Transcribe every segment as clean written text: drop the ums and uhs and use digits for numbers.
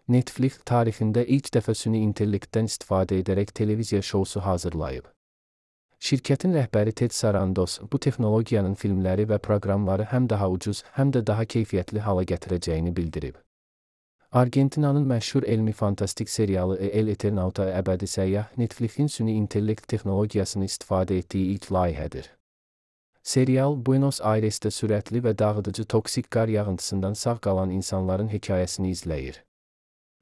Netflix tarixində ilk dəfə süni intellektdən istifadə edərək televiziya şousu hazırlayıb. Şirkətin rəhbəri Ted Sarandos bu texnologiyanın filmləri və proqramları həm daha ucuz, həm də daha keyfiyyətli hala gətirəcəyini bildirib. Argentinanın məşhur elmi fantastik serialı El Eternauta əbədi səyyah Netflixin süni intellekt texnologiyasını istifadə etdiyi ilk layihədir. Serial, Buenos Aires'də sürətli və dağıdıcı toksik qar yağıntısından sağ qalan insanların hekayəsini izləyir.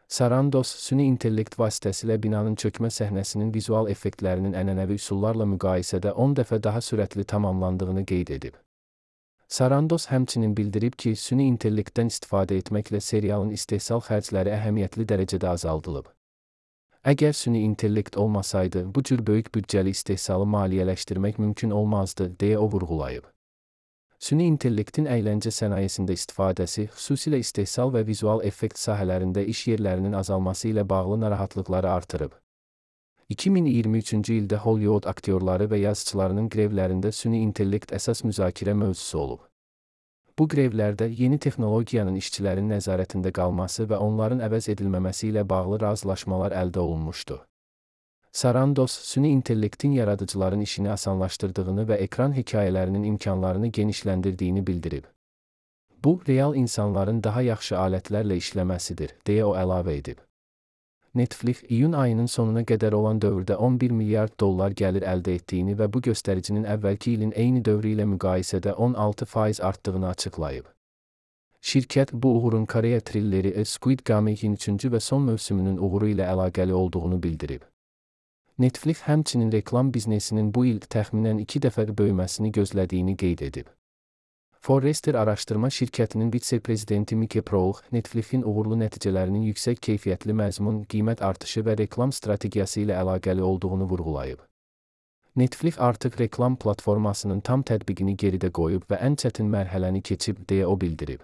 Sarandos, süni intellekt vasitəsilə binanın çökmə səhnəsinin vizual effektlərinin ənənəvi üsullarla müqayisədə 10 dəfə daha sürətli tamamlandığını qeyd edib. Sarandos həmçinin bildirib ki, süni intellektdən istifadə etməklə serialın istehsal xərcləri əhəmiyyətli dərəcədə azaldılıb. Əgər süni intellekt olmasaydı, bu cür böyük büdcəli istehsalı maliyyələşdirmək mümkün olmazdı, deyə o vurğulayıb. Süni intellektin əyləncə sənayesində istifadəsi, xüsusilə istehsal və vizual effekt sahələrində iş yerlərinin azalması ilə bağlı narahatlıqları artırıb. 2023-cü ildə Hollywood aktyorları və yazıçılarının qrevlərində süni intellekt əsas müzakirə mövzusu olub. Bu qrevlərdə yeni texnologiyanın işçilərin nəzarətində qalması və onların əvəz edilməməsi ilə bağlı razılaşmalar əldə olunmuşdu. Sarandos, süni intellektin yaradıcıların işini asanlaşdırdığını və ekran hekayələrinin imkanlarını genişləndirdiyini bildirib. Bu, real insanların daha yaxşı alətlərlə işləməsidir, deyə o əlavə edib. Netflix, iyun ayının sonuna qədər olan dövrdə 11 milyard dollar gəlir əldə etdiyini və bu göstəricinin əvvəlki ilin eyni dövrü ilə müqayisədə 16% artdığını açıqlayıb. Şirkət, bu uğurun Koreya trilleri Squid Game'in 3-cü və son mövsümünün uğuru ilə əlaqəli olduğunu bildirib. Netflix həmçinin reklam biznesinin bu il təxminən 2 dəfə böyüməsini gözlədiyini qeyd edib. Forrester araşdırma şirkətinin vitse-prezidenti Mike Proulx, Netflixin uğurlu nəticələrinin yüksək keyfiyyətli məzmun, qiymət artışı və reklam strategiyası ilə əlaqəli olduğunu vurğulayıb. Netflix artıq reklam platformasının tam tətbiqini geridə qoyub və ən çətin mərhələni keçib, deyə o bildirib.